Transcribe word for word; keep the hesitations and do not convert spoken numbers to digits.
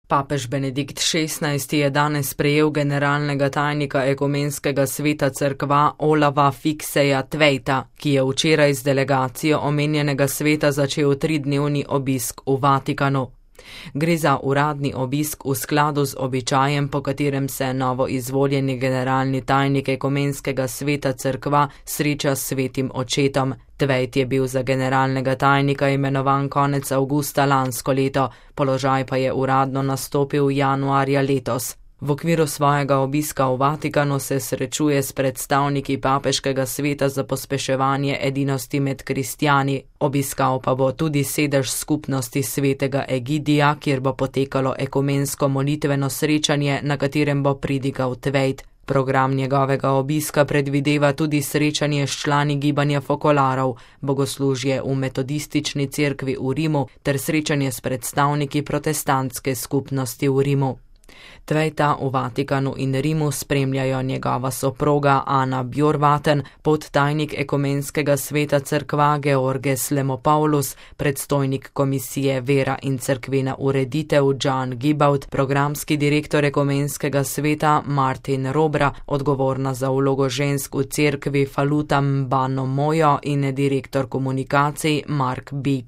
Papež Benedikt šestnajsti je danes sprejel generalnega tajnika Ekumenskega sveta cerkva Olava Fikseja Tvejta, ki je včeraj z delegacijo omenjenega sveta začel tridnevni obisk v Vatikanu. Gre za uradni obisk v skladu z običajem, po katerem se novo izvoljeni generalni tajnik Ekumenskega sveta cerkva sreča s svetim očetom. Tvejt je bil za generalnega tajnika imenovan konec avgusta lansko leto, položaj pa je uradno nastopil januarja letos. V okviru svojega obiska v Vatikanu se srečuje s predstavniki Papeškega sveta za pospeševanje edinosti med kristjani. Obiskal pa bo tudi sedež skupnosti svetega Egidija, kjer bo potekalo ekumensko molitveno srečanje, na katerem bo pridigal Tvejt. Program njegovega obiska predvideva tudi srečanje s člani gibanja fokolarov, bogoslužje v metodistični cerkvi v Rimu ter srečanje s predstavniki protestantske skupnosti v Rimu. Tvejta v Vatikanu in Rimu spremljajo njegova soproga Ana Bjorvaten, podtajnik Ekumenskega sveta cerkva Georges Lemopoulos, predstojnik komisije Vera in cerkvena ureditev John Gibaut, programski direktor Ekumenskega sveta Martin Robra, odgovorna za vlogo žensk v cerkvi Faluta Mbano Mojo in direktor komunikacij Mark Beach.